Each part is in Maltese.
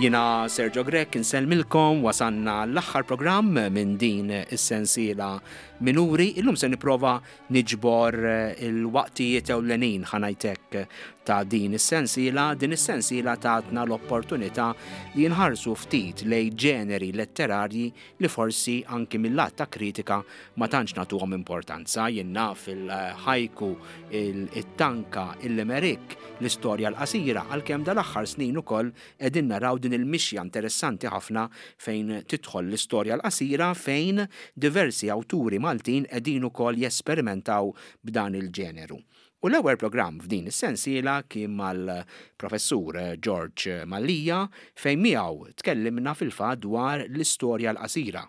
Jiena Sergio Grech insellmilkom wasanna l-aħħar programm minn din is-sensiela Minuri. Illum se nipprova niġbor il-waqtijiet ewlenin ħanajtek ta' din is-sensiela. Din is-sensiela tatna l-opportunità li nħarsu ftit lej ġeneri letterarji li forsi anki mil-lat ta' kritika ma tantx nagħtuhom importanza. Jien naf il-ħajku, it-tanka, il-limerick, l-istorja l-qasira, għalkemm dal-aħħar snin ukoll qegħdin naraw din il-mixja interessanti ħafna fejn tidħol l-istorja l-qasira fejn diversi awturi Maltin qegħdin ukoll jesperimentaw b'dan il-ġeneru. U l-ewwel programm f'din is-sensiela kien mal-Professur George Mallia fejn miegħu tkellimna fil-fatt dwar l-istorja l-qasira.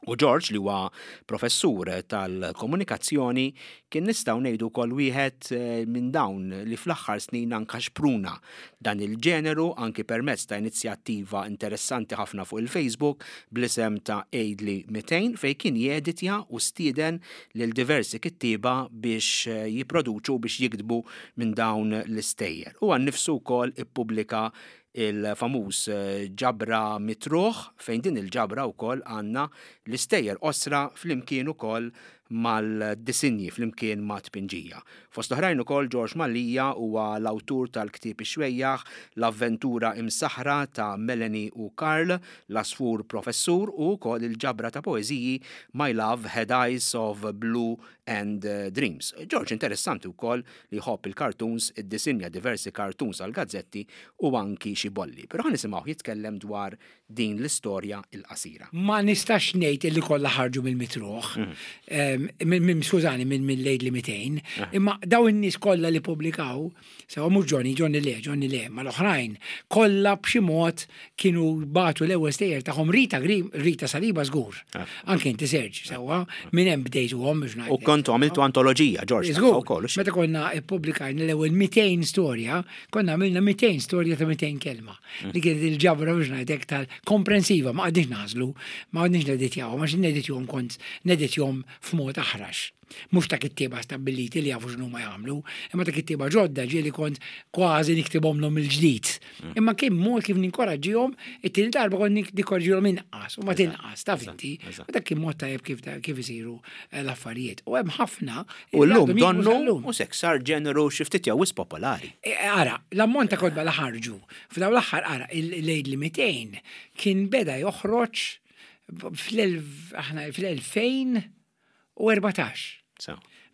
U George li huwa professur tal-komunikazzjoni kien nistgħu ngħidu wkoll wieħed eh, minn dawn li fl-aħħar snin anka xpruna dan il-ġeneru anki permezz ta' inizjattiva interessanti ħafna fuq il-Facebook bl-isem ta' Aidli 200 fejn kien jeditja u stieden lil diversi kittieba biex eh, jipproduċu biex jiktbu minn dawn l-istejjer. Huwa nnifsu wkoll ippubblika il-famuż eh, ġabra mitruħ fejn din il-ġabra wkoll għandna l-istejjer qosra flimkien ukoll mal-disinji flimkien ma' tpinġija. Fost oħrajn ukoll George Mallia huwa l-awtur tal-ktieb Ix-Xwejjaħ, L-Avventura Imsaħħra ta' Melanie u Karl, L-Għasfur Professur u wkoll il-ġabra ta' poeżiji My Love Had Eyes of Blue and Dreams. George interessanti wkoll li jħobb il-cartoons, iddisinja diversi cartoons għall-gazzetti u anki xi bolli. Però ħa nisimgħuh jitkellem dwar din l-istorja l-qasira. Ma nistax ngħid illi kollha ħarġu mill-mitruħ, mm. skużani, minn Laidley 200, eh. imma daw in-nies kollha li pubblikaw, sewa mhux Johnny, Johnny le, Johnny le, ma l-oħrajn, kollha b'xi mod kienu batu l-ewwel stejjer tagħhom Rita Grim, Rita Saliba żgur. Eh. Anke inti Serġ, sewa, minn hemm bdejtuhom biex ngħid. U kontu għamiltu antoloġija, Ġorġ. Żgur. Meta konna ippubblikajna l-ewwel 200 storja, konna għamilna 200 storja ta' 200 kelma. Li kienet il-ġabra biex ngħidlek tal-komprensiva, ma qgħadniex nagħżlu, ma qgħadniex neditjawhom, għax neditjhom kont neditjhom f'mod aħrax. Mhux ta' kittieba stabbiliti li jafu x'inhuma jagħmlu, imma ta' kittieba ġodda ġieli kont kważi niktibhomlhom mill-ġdid. Mm. Imma kien mod kif ninkoraġġihom, it-tieni darba kont ninkoraġġihom inqas u ma tinqas, taf inti. U dak kien mod tajjeb kif kif isiru eh, l-affarijiet. U hemm ħafna. U llum donnu u sek sar ġeneru xi ftit jew popolari. E, e, ara, l-ammont ta' kotba li ħarġu, f'daw l-aħħar ara, il-Laidley 200 kien beda joħroġ fl-2014.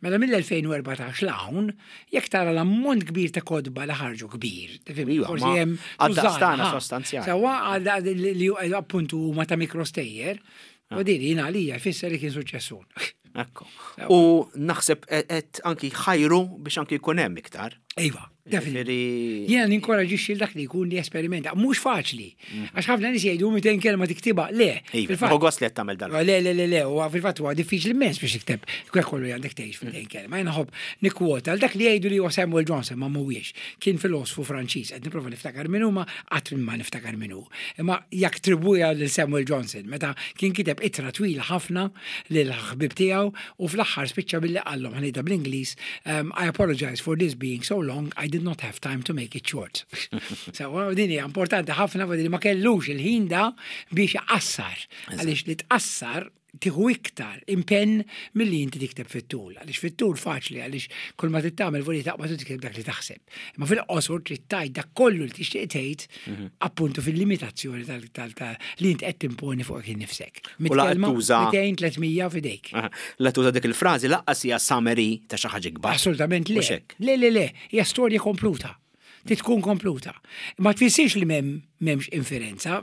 Mela mill-2014 l-hawn, jekk tara l-ammont kbir ta' kotba li ħarġu kbir, tifhem, forsi hemm għad-daqstana sostanzjali. Sawa li appuntu huma ta' mikrostejjer, u din jien għalija jfisser li kien suċċessun. Ekku. U naħseb qed anki ħajru biex anki jkun hemm iktar. Iva, definitely. Jiena ninkoraġixxi dak li jkun li esperimenta. Mhux faċli. Mm. Għax ħafna nies jgħidu 200 kelma tiktibha. Le. Iva, gost li qed tagħmel dan. Le, le, le, le, huwa fil-fatt huwa diffiċli immens biex tikteb. Kwek kollu għandek tgħix f'mitejn mm. kelma. Jiena ħobb nikkwota għal dak li jgħidu li huwa Samuel Johnson ma mhuwiex. Kien filosfu Franċiż, qed nipprova niftakar min huma qatt ma niftakar min hu. Imma jekk tribwija lil Samuel Johnson meta kien kiteb ittra twila ħafna lill-ħbieb tiegħu u fl-aħħar spiċċa billi qallhom, ħa ngħidha bl-Ingliż, I apologize for this being so long, I did not have time to make it short. Sewwa, u din hija importanti ħafna li ma kellux il-ħin da biex iqassar. Għaliex li tqassar tieħu iktar impenn milli inti tikteb fit-tul. Għaliex fit-tul faċli għaliex kull ma trid tagħmel voli taqbad u tikteb dak li taħseb. Imma fil-qosor trid tgħid dak kollu li tixtieq tgħid mhm. appuntu fil-limitazzjoni li inti qed timponi fuqek innifsek. U laqgħet tuża 200 300 f'idejk. La tuża dik il-frażi laqqas hija summary ta' xi ħaġa kbar. Assolutament le. Le, le, le, hija storja kompluta. Trid tkun kompluta. Ma tfissirx li m'hemmx inferenza.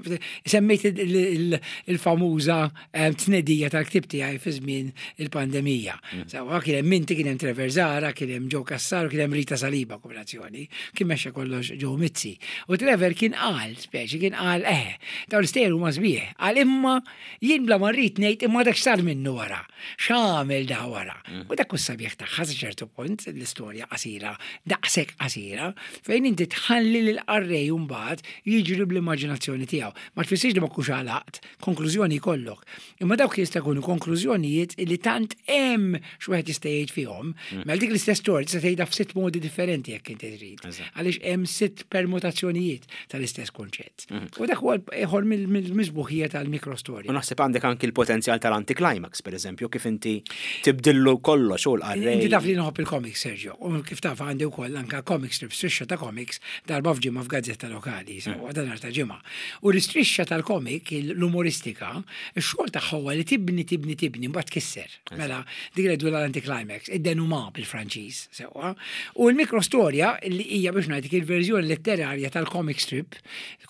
Semmejt il-famuża eh, tnedija tal-ktib tiegħi fi żmien il-pandemija. Mm. Sawa kien hemm inti, kien hemm Trevor Zara, kien hemm Joe Cassar, kien hemm Rita Saliba kombinazzjoni. Kien mexxa kollox Joe Mizzi. U Trevor kien qal, speċi kien qal, eh, dawn l-istejjer huma sbieħ. Qal imma jien bla ma rrid ngħid imma dak x'sar minnu wara. X'għamel da wara. Mm. U dak hu sabiħ tagħha sa ċertu punt l-istorja qasira, daqshekk qasira, fejn Fejn inti tħalli lill-qarrej mbagħad jiġri bl-immaġinazzjoni tiegħu. Ma tfissirx li ma tkunx għalaqt, konklużjoni jkollok. Imma dawk jista' jkunu konklużjonijiet li tant hemm x'wieħed jista' jgħid fihom. Mela dik l-istess storja tista' tgħidha f'sitt modi differenti jekk inti trid. Għaliex hemm sitt permutazzjonijiet tal-istess kunċett. U dak huwa ieħor mill-misbuħija tal-mikrostorja. U naħseb għandek anki l-potenzjal tal-anticlimax, per eżempju, kif inti tibdillu kollox u l-qarrej. Inti taf li nħobb il-comics, Sergio, u kif taf għandi wkoll anka comic strips, strisċa ta' comics darba f'ġimgħa f'gazzetta lokali, sewwa dan nhar ta' ġimgħa. U l-istrixxa tal-comic, l-umoristika, ix-xogħol tagħha huwa li tibni, tibni, tibni, mbagħad tkisser. Mela, dik li jgħidulha l-anticlimax, id-denouement bil-Franċiż, sewwa. U l-mikrostorja li hija biex ngħidlek il-verżjoni letterarja tal-comic strip,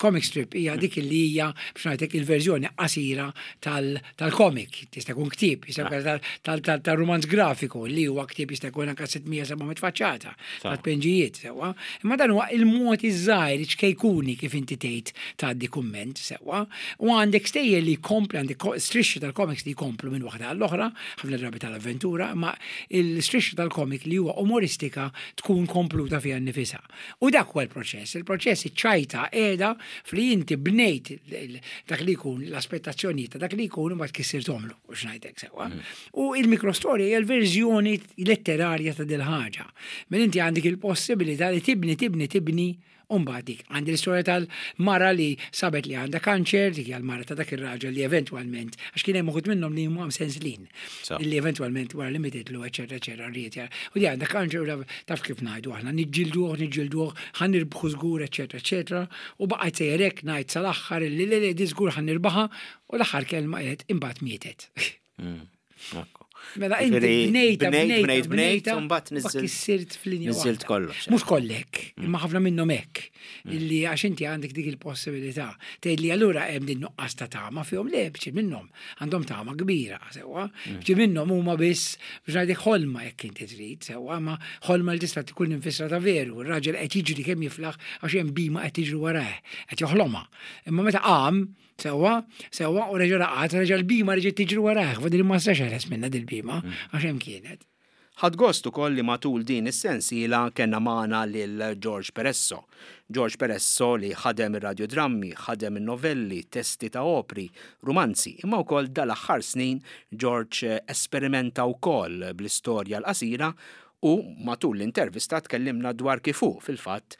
comic strip hija dik li hija biex ngħidlek il-verżjoni qasira tal-comic, tista' jkun ktieb, jista' jkun tal-rumanz grafiku li huwa ktieb jista' jkun anke 600-700 faċċata ta' tpenġijiet sewwa. Imma dan huwa il-mod iż-żgħir ċkejkuni kif inti tgħid tgħaddi kumment sewwa. U għandek stejjer li jkompli għandek strixxi tal-comics li jkomplu minn waħda għall-oħra, ħafna drabi tal-avventura, imma il-strixxa tal-comic li huwa umoristika tkun kompluta fiha nnifisha. U dak huwa l-proċess. Il-proċess iċ-ċajta qiegħda fli inti bnejt dak li jkun l-aspettazzjonijiet ta' dak li jkun u mbagħad kissirthomlu, u x'ngħidlek sewwa. U il-mikrostorja hija l-verżjoni letterarja ta' dil-ħaġa. Mela inti għandek il-possibilità li tibni, tibni, tibni u mbagħad dik. Għandi l-istorja tal-mara li sabet li għandha kanċer, dik hija l-mara ta' dak ir-raġel li eventwalment, għax kien hemm uħud minnhom li huma msenslin. Illi eventwalment wara li mititlu, eċetera, eċetera, rrid jara. U di għandha kanċer u taf kif ngħidu aħna, niġġilduh, niġġilduh, ħa nirbħu żgur, eċetera, eċetera. U baqgħet sejjer hekk ngħid sal-aħħar illi le le di żgur ħa nirbaħha u l-aħħar kelma qed imbagħad mietet. Mela inti bnejta, bnejta, bnejta, bnejta, mbagħad niżilt. Kissirt f'linja. Niżilt kollox. Mhux kollek, mm. imma ħafna minnhom hekk. Mm. Illi għax inti għandek dik il-possibilità. Tgħid li allura hemm din nuqqas ta' tama fihom le bċi minnhom għandhom tama kbira, sewwa. Mm. Bċi minnhom huma biss biex ngħidlek ħolma jekk inti trid, sewwa, ma ħolma li tista' tkun infisra ta' veru. Ir-raġel qed jiġri kemm jiflaħ għax hemm bima qed tiġri warah, qed joħlomha. Imma meta qam Sewwa, sewwa, u reġa' raqad, reġa' l-bhima reġgħet tiġri warajh, fadil ma setax jeħles minnha dil-bhima, għax hemm kienet. Ħadt gost ukoll li matul din is-sensiela kellna magħna lil George Peresso. George Peresso li ħadem ir-radjodrammi, ħadem in-novelli, testi ta' opri, rumanzi, imma wkoll dal-aħħar snin George esperimenta wkoll bl-istorja l-qasira U matul l-intervista tkellimna dwar kif hu, fil-fatt,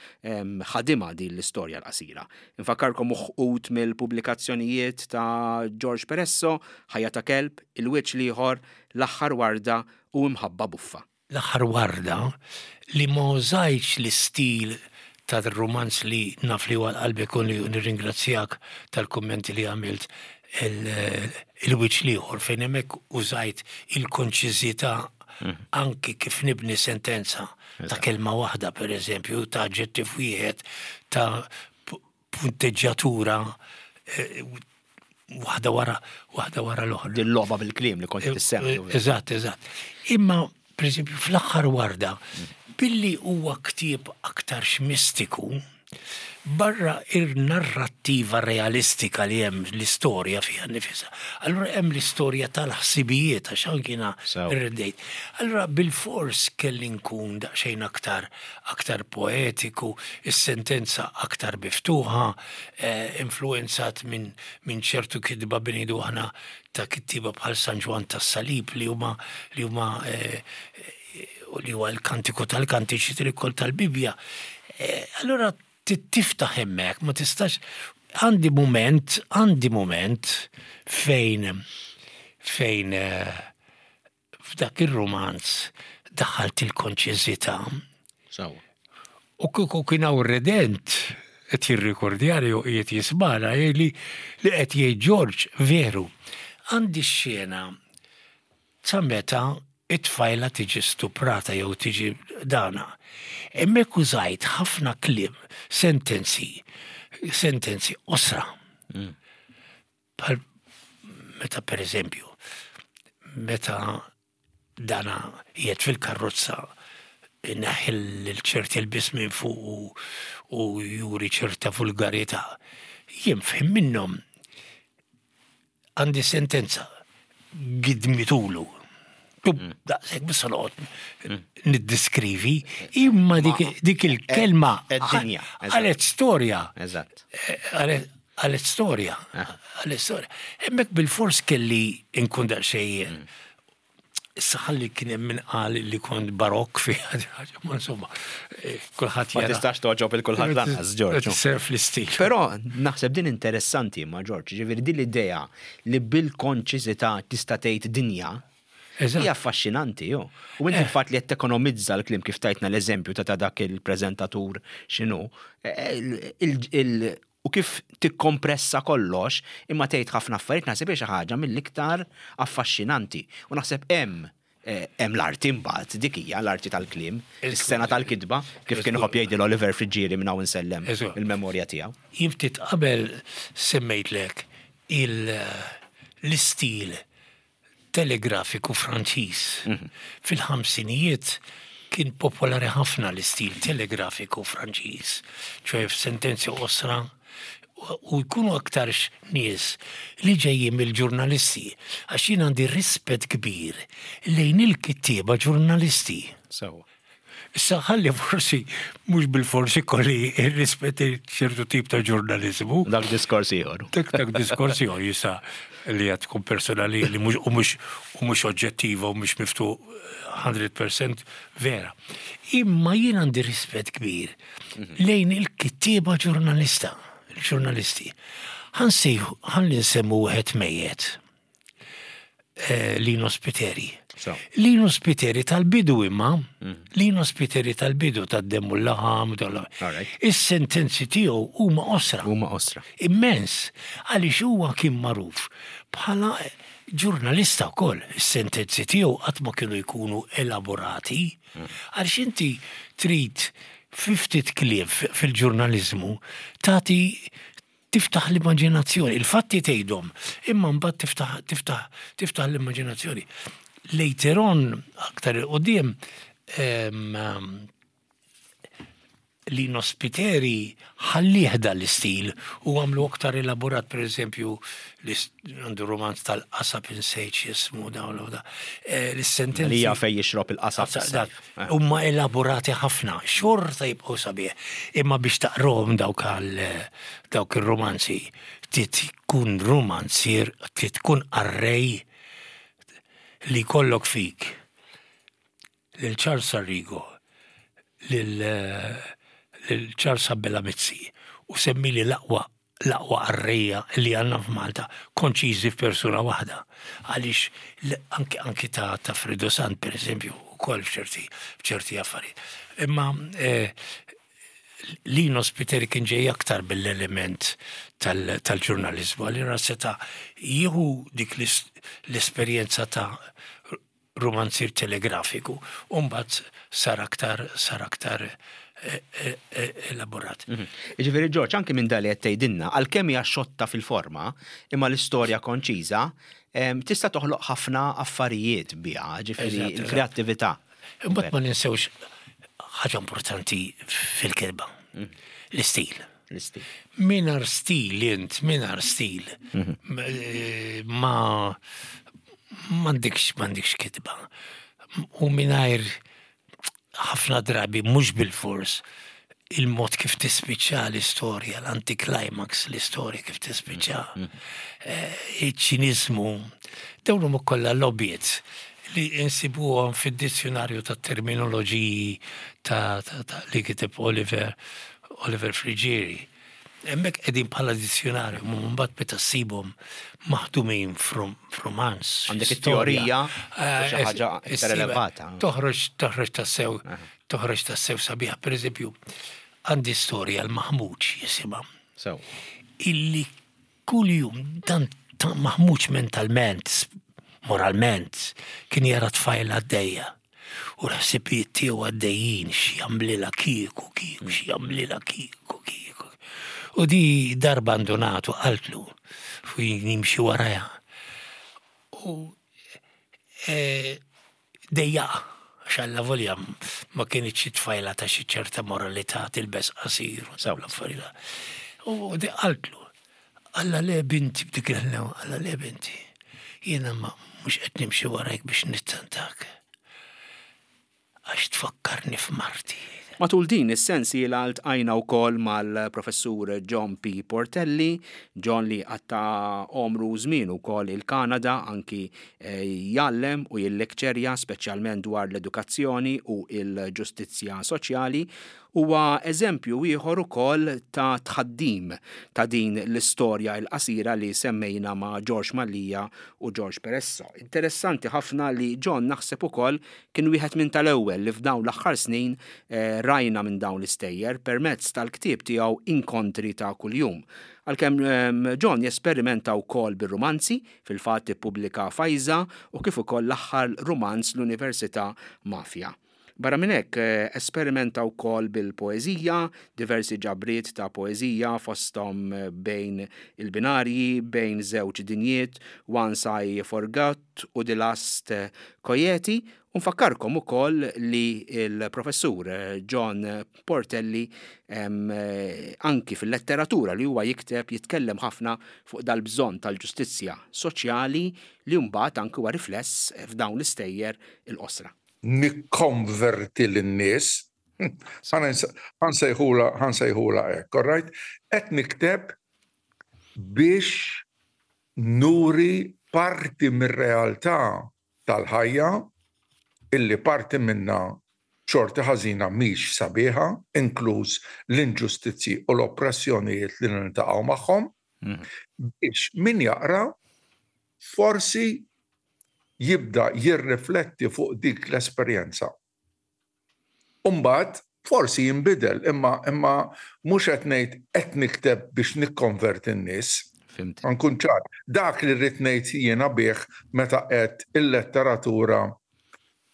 ħadimha din l-istorja l-qasira. Infakkarkom uħud mill-pubblikazzjonijiet ta' George Peresso, Ħajja ta' Kelb, Il-Wiċċ l-Ieħor, L-Aħħar Warda u Imħabba Buffa. L-Aħħar Warda, li ma użajtx l-istil tar-rumanz li naf li huwa għal qalbek u li nirringrazzjak tal-kummenti li għamilt Il-Wiċċ l-Ieħor fejn hemmhekk użajt il-konċiżità anki kif nibni sentenza ta' kelma waħda pereżempju, ta' aġġettiv wieħed, ta' punteġġjatura eh, waħda wara waħda wara l-oħra. Din logħba bil-kliem li kont eh, tissemmi. Eh, eżatt, eżatt. Imma pereżempju fl-aħħar warda, billi huwa ktieb aktarx mistiku, Barra ir-narrattiva realistika li hemm l-istorja fiha nnifisha, allura hemm l-istorja tal-ħsibijiet għax anki jiena rreddejt. Allura bilfors kelli nkun daqsxejn aktar aktar poetiku, is-sentenza aktar miftuħa, influwenzat minn minn ċertu kitba bi ngħidu aħna ta' kittieba bħal San Ġwann tas-Salib li huma li huma li huwa l-kantiku tal-kantiċi trikol tal-Bibbja. Eh, allura tiftaħ hemmhekk, ma tistax għandi moment, għandi moment fejn fejn eh, f'dak ir-romanz daħalt il-konċiżità. U kieku kien hawn redent qed jirrikordjani u qiegħed jismagħna jgħidli li qed jgħid George veru. Għandi x-xena Sa meta t-tfajla tiġi stuprata jew tiġi dana. Hemmhekk użajt ħafna kliem, sentenzi, sentenzi qosra. Bħal meta pereżempju, meta dana qiegħed fil-karrozza ineħħi l ċerti lbies minn fuq u juri ċerta vulgarità. Jien f'ħin minnhom Għandi sentenza, gidmitulu. Daqshekk biss noqgħod niddiskrivi, imma dik il-kelma Ed-dinja, eżatt. Għalet storja. Eżatt. Għalet storja. Għalet storja. Hemmhekk bil-fors kelli nkun daqsxejn. Issa ħalli kien hemm min qal li kont barokk fi ħaġa, ma insomma, kulħadd Ma jara. tistax toġob il kulħadd lanqas, Ġorġ. Serf l-istil. Però naħseb din interessanti ma Ġorġ, ġifieri din l-idea li bil-konċiżità tista' tgħid dinja Eżatt. hija affaxxinanti, jo. U inti il-fatt li qed tekonomizza l-kliem kif tajtna l-eżempju ta' ta' dak il-preżentatur x'inhu, u kif tikkompressa kollox imma tgħid ħafna affarijiet naħseb hija xi ħaġa mill-iktar affaxxinanti. U naħseb hemm l-arti mbagħad, dik hija l-arti tal-kliem, is-sena tal-kitba, kif kien iħobb jgħidil Oliver Friggieri minn hawn insellem il-memorja tiegħu. Jien ftit qabel semmejtlek l-istil telegrafiku Franċiż. Fil-ħamsinijiet kien popolari ħafna l-istil telegrafiku Franċiż, ċoe f'sentenzi qosra u jkunu aktarx nies li ġejjin mill-ġurnalisti, għax jien għandi rispett kbir lejn il-kittieba ġurnalisti. Sewwa. Issa ħalli forsi mhux bil-forsi kolli rispett ċertu tip ta' ġurnaliżmu. Dak diskors ieħor. Dak diskors ieħor jista' li qed tkun personali li mhux u mhux u mhux oġġettiva u mhux miftuħ 100% vera. Imma jien għandi rispett kbir lejn il-kittieba ġurnalista, il-ġurnalisti. Ħansejħu, ħalli nsemmu wieħed mejjet. Lino Spiteri. So. Lino Spiteri tal-bidu imma, Lino Spiteri tal-bidu tad-demm u l-laħam, All right. Is-sentenzi tiegħu huma qosra. Huma qosra. Immens, għaliex huwa kien magħruf bħala ġurnalista wkoll. Is-sentenzi tiegħu qatt ma kienu jkunu elaborati. Għaliex inti trid fi ftit kliem fil-ġurnaliżmu tagħti tiftaħ l-immaġinazzjoni, il-fatti tgħidhom, imma mbagħad tiftaħ l-immaġinazzjoni. Later on, aktar 'il quddiem, Lino Spiteri ħallih dal-istil u għamlu aktar elaborat, per eżempju, għandu romanz tal-qasab insejt jismu dawn u da. L-sentenzi. Li hija fej jixrob il-qasab. Huma elaborati ħafna, xorta jibqgħu sabiħ. Imma biex taqrohom dawk ir-romanzi, trid tkun romanzier, trid tkun qarrej li jkollok fik lil Charles Arrigo, lil Charles Abela Mizzi, u semmili l-aqwa qarrejja li għandna f'Malta, konċiżi f'persuna waħda. Għaliex anki ta' Fredo Sant, per eżempju, ukoll f'ċerti affarijiet. Imma Lino Spiteri kien ġej aktar bil-element tal-ġurnalizmu, għalli seta' jieħu dik l-esperjenza ta' romanzier telegrafiku, u mbagħad sar aktar elaborat. Ġifieri Ġorġ, anke minn dali qed tgħidilna, għalkemm hija xotta fil-forma, imma l-istorja konċiża, tista' toħloq ħafna affarijiet biha, ġifieri il-kreattività. Imbagħad ma ninsewx ħaġa importanti fil-kelba, l-istil. L-istil. Mingħajr stil int, mingħajr stil, ma m'għandekx kitba. U mingħajr ħafna drabi, mhux bil-fors, il-mod kif tispiċċa l-istorja, l-anticlimax, l-istorja kif tispiċċa, iċ-ċinizmu, dawn huma kollha lobbiet li insibuhom fid-dizzjonarju ta' terminoloġiji ta' li kiteb Oliver Friggieri. Hemmhekk qegħdin bħala dizzjonarju, ma mbagħad meta ssibhom maħdumin f'romanz. Għandek storja. it-teorija, xi ħaġa iktar elevata. Toħroġ tassew, toħroġ tassew sabiħa. Per eżempju, għandi storja l-Maħmuġ jisimha. Illi kuljum dan ta' maħmuġ mentalment, moralment, kien jara tfajla għaddejja. U l-ħsibijiet tiegħu għaddejjin x'jagħmlilha kieku, kieku, x'jagħmlilha kieku, kieku. U di darba ndunatu qaltlu fu jimxi warajha. U dejjaqa, għax alla volja ma kienx xi tfajla ta' xi ċerta moralità tilbes qasir u dawn l-affarijiet. U di qaltlu, Alla le binti, b'dik il-ħnew, alla le binti. Jiena ma mhux qed nimxi warajk biex nittantak. Għax tfakkarni f'marti. Matul din is-sensiela ltqajna wkoll mal-Professur John P. Portelli, John li qatta' għomru u żmienu wkoll il-Kanada anki jgħallem u jillekċerja speċjalment dwar l-edukazzjoni u l-ġustizzja soċjali. Huwa eżempju ieħor ukoll ta' tħaddim ta' din l-istorja l-qasira li semmejna ma' Ġorġ Mallia u Ġorġ Peresso. Interessanti ħafna li John naħseb ukoll kien wieħed minn tal-ewwel li f'dawn l-aħħar snin rajna minn dawn l-istejjer permezz tal-ktieb tiegħu Inkontri ta' Kuljum. Għalkemm John jesperimenta wkoll bir-rumanzi, fil-fatt ippubblika Fajża u kif ukoll l-aħħar rumanz L-Università Mafia. Barra minn hekk, esperimenta wkoll bil-poeżija, diversi ġabriet ta' poeżija fosthom Bejn il-Binarji, Bejn Żewġ Dinjiet, Once I Forgot u The Last Coyote. U nfakkarkom ukoll li l-Professur John Portelli anki fil-letteratura li huwa jikteb jitkellem ħafna fuq dal-bżonn tal-ġustizzja soċjali li mbagħad anki huwa rifless f'dawn l-istejjer il-qosra. Nikkonverti lin-nies, ħa nsejħulha ħa nsejħulha hekk, all right? Qed nikteb biex nuri parti mir-realtà tal-ħajja illi parti minnha b'xorti ħażina mhix sabiħa, inkluż l-inġustizzji u l-oppressjonijiet li niltaqgħu magħhom, biex min jaqra forsi jibda jirrifletti fuq dik l-esperjenza. U mbagħad forsi jinbidel, imma imma mhux qed ngħid qed nikteb biex nikkonverti n-nies. Fhimt. Ħa nkun ċar. Dak li rrid ngħid jiena bih meta qed il-letteratura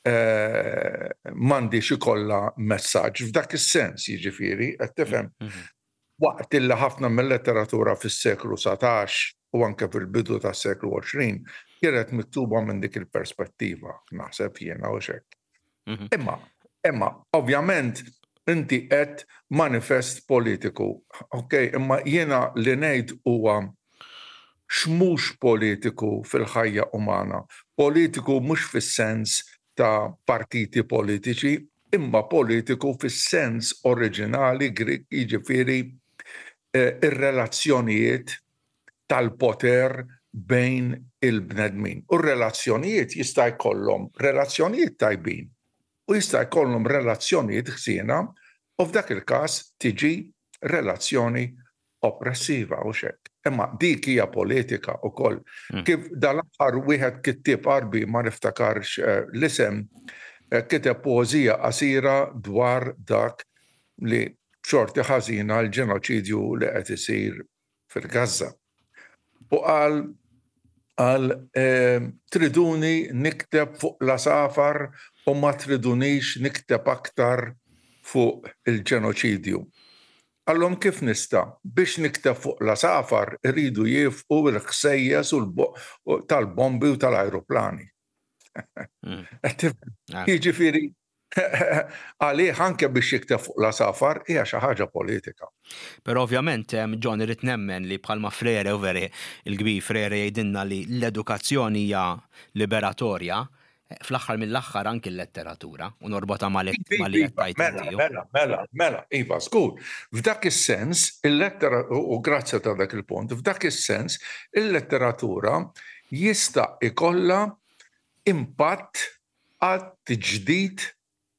m'għandhiex ikollha messaġġ, f'dak is-sens jiġifieri, qed tifhem? Waqt illi ħafna mil-letteratura fis-seklu 19 u anke fil-bidu tas-seklu 20 kienet miktuba minn dik il-perspettiva, naħseb jiena u hekk. Imma, imma, ovvjament inti qed manifest politiku, ok, imma jiena li ngħid huwa x'mhux politiku fil-ħajja umana. Politiku mhux fis-sens ta' partiti politiċi, imma politiku fis-sens oriġinali Grieg, jiġifieri r-relazzjonijiet tal-poter bejn il-bnedmin. U r-relazzjonijiet jista' jkollhom relazzjonijiet tajbin u jista' jkollhom relazzjonijiet ħżiena u f'dak il-każ tiġi relazzjoni oppressiva hux hekk. Imma dik hija politika wkoll. Kif dal-aħħar wieħed kittieb Għarbi ma niftakarx l-isem kiteb poeżija qasira dwar dak li b'xorti ħażina l-ġenoċidju li qed isir fil-Gaża. U qal qal triduni nikteb fuq l-għasafar u ma tridunix nikteb aktar fuq il-ġenoċidju. Qallhom kif nista'? Biex nikteb fuq l-għasafar iridu jiefqu l-ħsejjes tal-bombi u tal-ajruplani. Qed tifhem? Jiġifieri għalih anke biex jikteb fuq l-għasafar hija xi ħaġa politika. Però ovvjament John irrid nemmen li bħalma Frere u veri il-kbir Frere jgħidilna li l-edukazzjoni hija liberatorja, Fl-aħħar mill-aħħar anki l-letteratura, u norbotha ma' li qed tgħid inti. Mela, mela, mela, mela, iva, żgur. F'dak is-sens, il-lettera, u grazzi ta' dak il-punt, f'dak is-sens, il-letteratura jista' jkollha impatt għat-tiġdid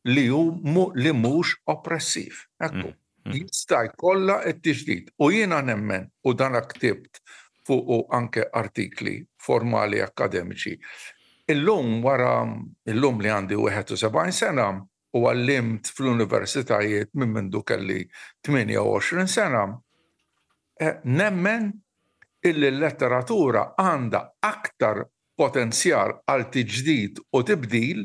li hu li mhux oppressiv. Ekku. Jista' jkollha t-tiġdid. U jiena nemmen, u dan ktibt fuqu anke artikli formali akkademiċi, illum wara illum li għandi 71 sena u għallimt fl-universitajiet minn mindu kelli 28 sena, nemmen illi l-letteratura għandha aktar potenzjal għal tiġdid u tibdil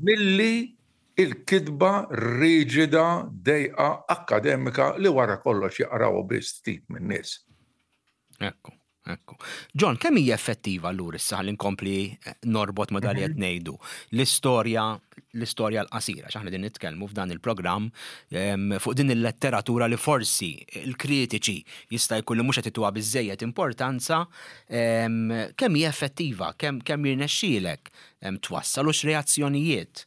milli l-kitba riġida, dejqa, akkademika li wara kollox jaqrawha biss ftit min-nies. Ekku. Ekku. John, kemm hija effettiva allura issa ħalli nkompli eh, norbot ma' dak li qed mhm. ngħidu l-istorja l-istorja l-qasira, x'aħna din nitkellmu f'dan il-programm fuq din il-letteratura li forsi il-kritiċi jista' jkun li mhux qed ituha biżejjed importanza, kemm hija effettiva, kemm kemm jirnexxielek twassal u x'reazzjonijiet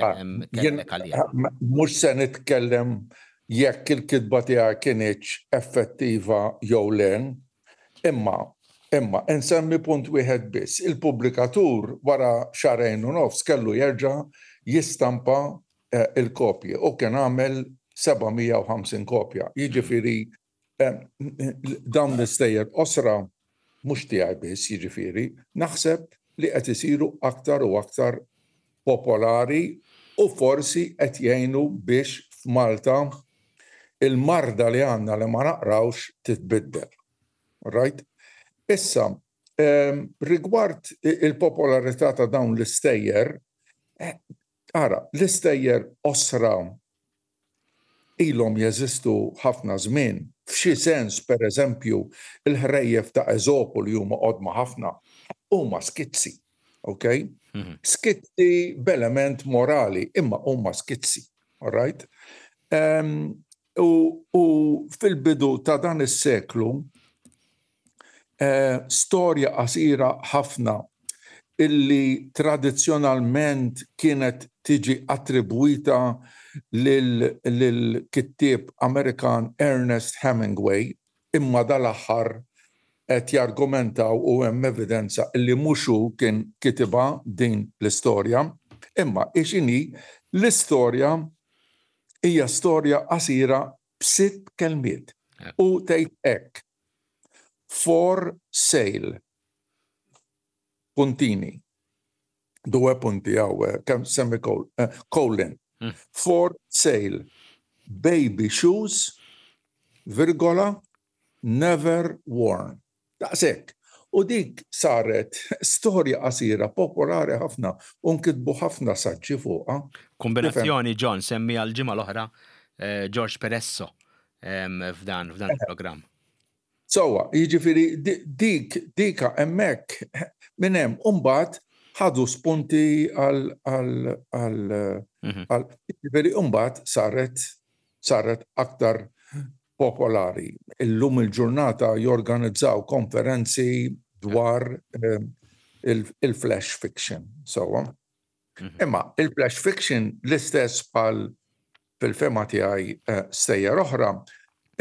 ah, kellek għaliha. Mhux se nitkellem jekk il-kitba tiegħi kinitx effettiva jew le, imma imma insemmi punt wieħed biss. Il-pubblikatur wara xahrejn u nofs kellu jerġa' jistampa eh, il-kopji u kien għamel 750 kopja. Jiġifieri eh, dawn l-istejjer qosra mhux tiegħi biss, jiġifieri, naħseb li qed isiru aktar u aktar popolari u forsi qed jgħinu biex f'Malta il-marda li għandna li ma naqrawx titbiddel. Right? Issa, ehm, rigward il-popolarità ta' dawn l-istejjer, eh, ara, l-istejjer osra ilhom jeżistu ħafna żmien. F'xi sens, per eżempju, il-ħrejjef ta' Eżopu li huma qodma ħafna, huma skizzi. Ok? Mhm. Skizzi b'element morali, imma huma skizzi. All right? Um, u, u fil-bidu ta' dan is-seklu, eh, storja qasira ħafna illi tradizzjonalment kienet tiġi attribwita lill-kittieb Amerikan Ernest Hemingway, imma dal-aħħar qed jargumentaw u hemm evidenza illi mhux hu kien kitibha din l-istorja. Imma hi x'inhi, l-istorja hija storja qasira b'sitt kelmiet u tgħid hekk, For sale. Puntini. Due punti hawn, kemm semicolon. Eh, For sale. Baby shoes, virgola, never worn. Daqshekk. U dik saret storja qasira popolari ħafna u nkitbu ħafna saġġi fuqha. Kombinazzjoni John semmi għal ġimgħa l-oħra eh, George Peresso f'dan f'dan il-programm. Sewwa, jiġifieri dik dika hemmhekk minn hemm u mbagħad ħadu spunti għal għal għal mhm. jiġifieri mbagħad saret saret aktar popolari. Illum il-ġurnata jorganizzaw konferenzi dwar eh, il-flash fiction. Sewwa. Mhm. Imma il-flash fiction l-istess bħal fil-fehma tiegħi eh, stejjer oħra,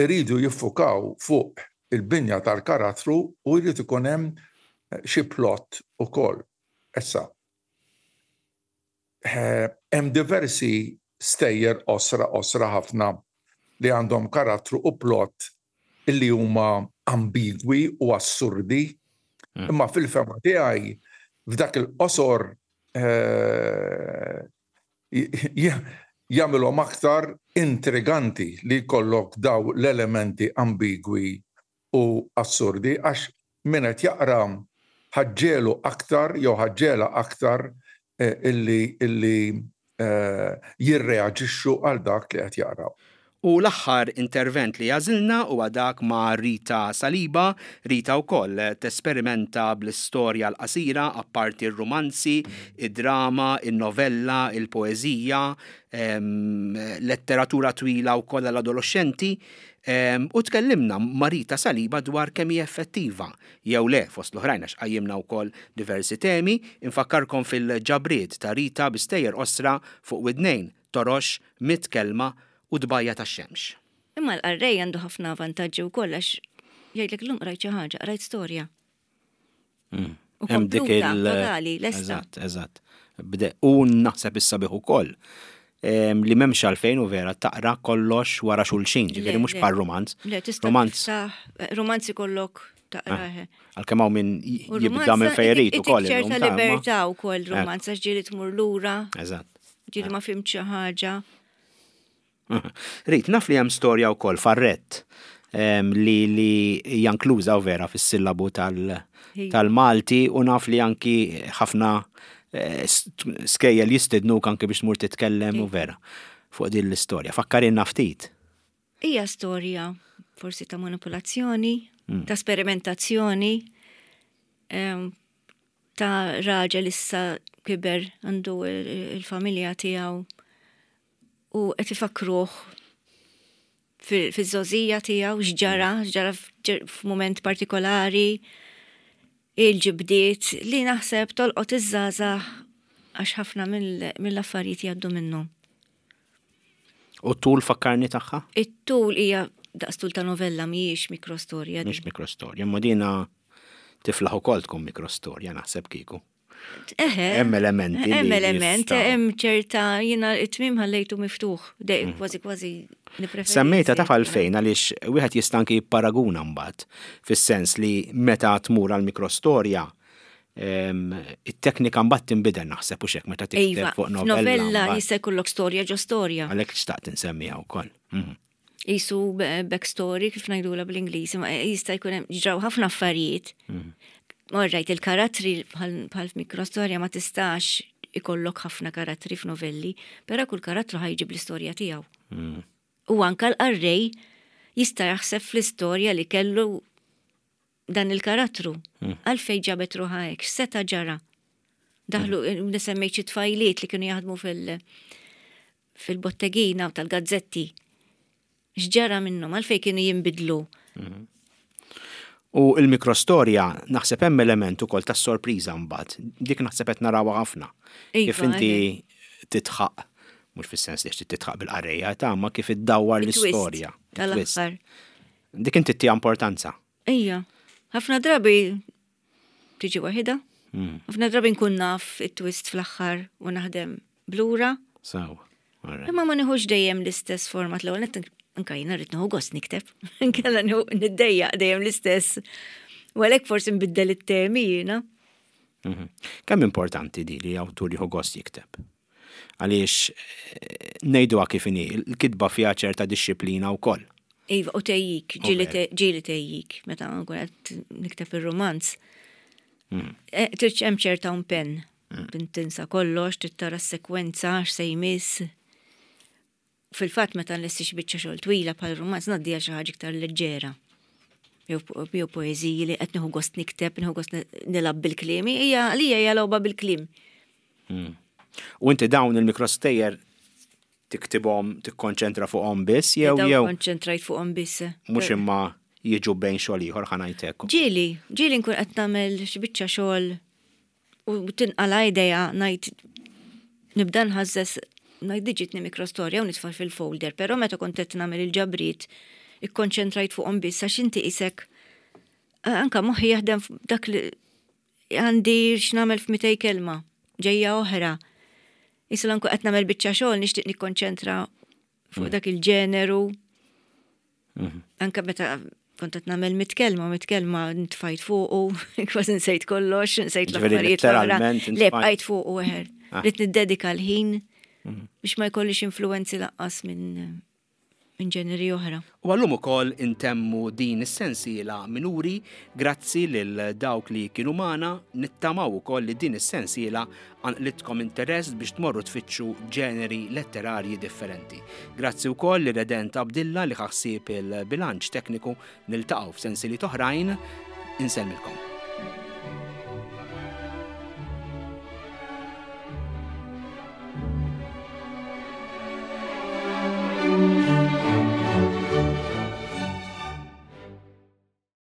iridu jiffukaw fuq il-binja tal-karattru u jrid ikun hemm eh, xi plot ukoll. Issa, eh, hemm diversi stejjer qosra qosra ħafna li għandhom karattru u plot illi huma ambigwi u assurdi, mm. imma fil-fema tiegħi f'dak il-qosor eh, jagħmilhom aktar intriganti li jkollok daw l-elementi ambigwi u assurdi għax min qed jaqra ħaġġelu aktar jew ħaġġela aktar eh, illi illi eh, jirreaġixxu għal dak li qed jaqraw. U l-aħħar intervent li għażilna huwa dak ma' Rita Saliba. Rita wkoll tesperimenta bl-istorja l-qasira apparti r-rumanzi, id-drama, in-novella, il-poeżija, letteratura twila wkoll għall-adoloxxenti. U tkellimna ma' Rita Saliba dwar kemm hi effettiva jew le fost l-oħrajn għax qajjimna wkoll diversi temi. Infakkarkom fil-ġabriet ta' Rita bi stejjer qosra fuq widnejn torox, mitt kelma u tbajja' tax-xemx. Imma l-qarrej għandu ħafna vantaġġi wkoll għax jgħidlek illum qrajt xi ħaġa, qrajt storja. Mm. U kompluta, totali, lesta. Eżatt, eżatt. U naħseb issa bih ukoll li m'hemmx għalfejn u vera taqra kollox wara xulxin, ġifieri mhux bħal romanz. Le, tista' romanz. Romanzi kollok taqra. Ah, għalkemm hawn min jibda minn fejn irid ukoll. ċerta libertà wkoll romanz għax ġieli tmur lura. Eżatt. Ġieli ma fimt xi ħaġa. Rit, naf li hemm storja wkoll farrett li li hija inkluża u vera fis-sillabu tal-Malti u naf li anki ħafna eh, skejjel jistednuk anki biex tmur titkellem u vera fuq din l-istorja. Fakkarinna ftit. Hija storja. forsi ta' manipulazzjoni, ta' sperimentazzjoni, ta' raġel issa kiber għandu il-familja tiegħu u qed ifakruh fiż-żgħożija tiegħu x'ġara, x'ġara f'mument partikolari, il-ġibdiet li naħseb tolqot iż-żgħażagħ għax ħafna mill-affarijiet jgħaddu minnhom. U t-tul fakkarni tagħha? It-tul hija daqs tul ta' novella mhijiex mikrostorja. Mhix mikrostorja, imma dina tiflaħ ukoll tkun mikrostorja naħseb kieku. Eħe. Hemm elementi. Hemm element, hemm ċerta jiena it-tmiem ħallejtu miftuħ, dej mm. kważi kważi nippreferi. Semmejta taf għalfejn għaliex wieħed jista' anki jipparaguna mbagħad fis-sens li meta tmur għal mikrostorja it-teknika mbagħad tinbidel naħseb u xek meta tikteb iva, fuq novella. Novella jista' jkollok storja ġo storja. Għalhekk xtaqt insemmiha wkoll. Mhm. Isu backstory kif ngħidula bl-Ingliż, ma jista' jkun hemm ġraw ħafna affarijiet. Mhm. Orrajt, il-karattri bħal f'mikrostorja ma tistax ikollok ħafna karattri f'novelli, però kull karattru ħajġib l-istorja tiegħu. Mhm. U anka l-qarrej jista' jaħseb fl-istorja li kellu dan il-karattru. Mm. Għalfej ġabet ruħa hekk, x'seta' ġara. Daħlu, mm. nisemmejt xi tfajliet li kienu jaħdmu fil- fil-bottegina u tal-gazzetti. X'ġara minnhom, għalfej kienu jinbidlu. Mm. U il-mikrostorja naħseb hemm element ukoll ta' sorpriża mbagħad. Dik naħseb qed narawha ħafna. Iva, Kif inti titħaq, mhux fis-sens li titħaq bil-qarrejja ta' ma kif iddawwar l-istorja. Tal-aħħar. Dik inti ttiha importanza. Ija. Ħafna drabi tiġi waħida. Hmm. Ħafna drabi nkun naf it-twist fl-aħħar u naħdem blura. Sawa. Imma ma nieħux dejjem l-istess format l-ewwel nett anka jiena rrid nieħu gost nikteb. Nkella niddejjaq dejjem l-istess. U għalhekk forsi nbiddel it-temi jiena. Mhm. Kemm importanti di li awtur jieħu gost jikteb? Għaliex eh, ngħiduha kif inhi, il-kitba fiha ċerta dixxiplina wkoll. Iva, u tejjik, ġieli tejjik, meta nkun qed nikteb ir-rumanz. Mm. Eh, Tirċ hemm ċerta impenn. Mm. Tinsa kollox, tittara s-sekwenza, x'se jmiss. Fil-fatt meta nlesti xi biċċa xogħol twila bħal rumanz ngħaddiha xi ħaġa iktar leġġera. Jew poeżiji li qed nieħu gost nikteb, nieħu gost nilgħab bil-kliem, hija għalija hija logħba bil-kliem. Hmm. U inti dawn il-mikrostejjer tiktibhom, tikkonċentra fuqhom biss jew jew. Konċentrajt fuqhom biss. Mhux imma jiġu bejn xogħol ieħor ħa ngħidlek. Ġieli, ġieli nkun qed nagħmel xi biċċa xogħol U tinqala' idea ngħid nibda nħażżeż ngħid di ġietni mikrostorja u nitfa' fil-folder, però meta kont qed nagħmel il-ġabriet ikkonċentrajt fuqhom biss għax inti qisek anka moħħi jaħdem dak li għandi x'nagħmel f'mitej kelma, ġejja oħra. Issa lanku qed nagħmel biċċa xogħol nixtieq nikkonċentra fuq mm. dak il-ġeneru. Mhm. Anka meta kont qed nagħmel mitkelma, mitkelma ntfajt fuqu, kważi nsejt kollox, nsejt l-affarijiet l-oħra. Le bqajt fuqu eħer. Ah. Rid niddedika l-ħin mhm. biex ma jkollix influenzi laqqas minn minn ġeneri oħra. U għallum ukoll intemmu din is-sensiela minuri grazzi lil dawk li kienu magħna nittamaw ukoll li din is-sensiela qanqlitkom interess biex tmorru tfittxu ġeneri letterarji differenti. Grazzi wkoll lil Redent Abdilla li ħa ħsieb il-bilanċ tekniku. Niltaqgħu f'sensiliet oħrajn. Insellmilkom.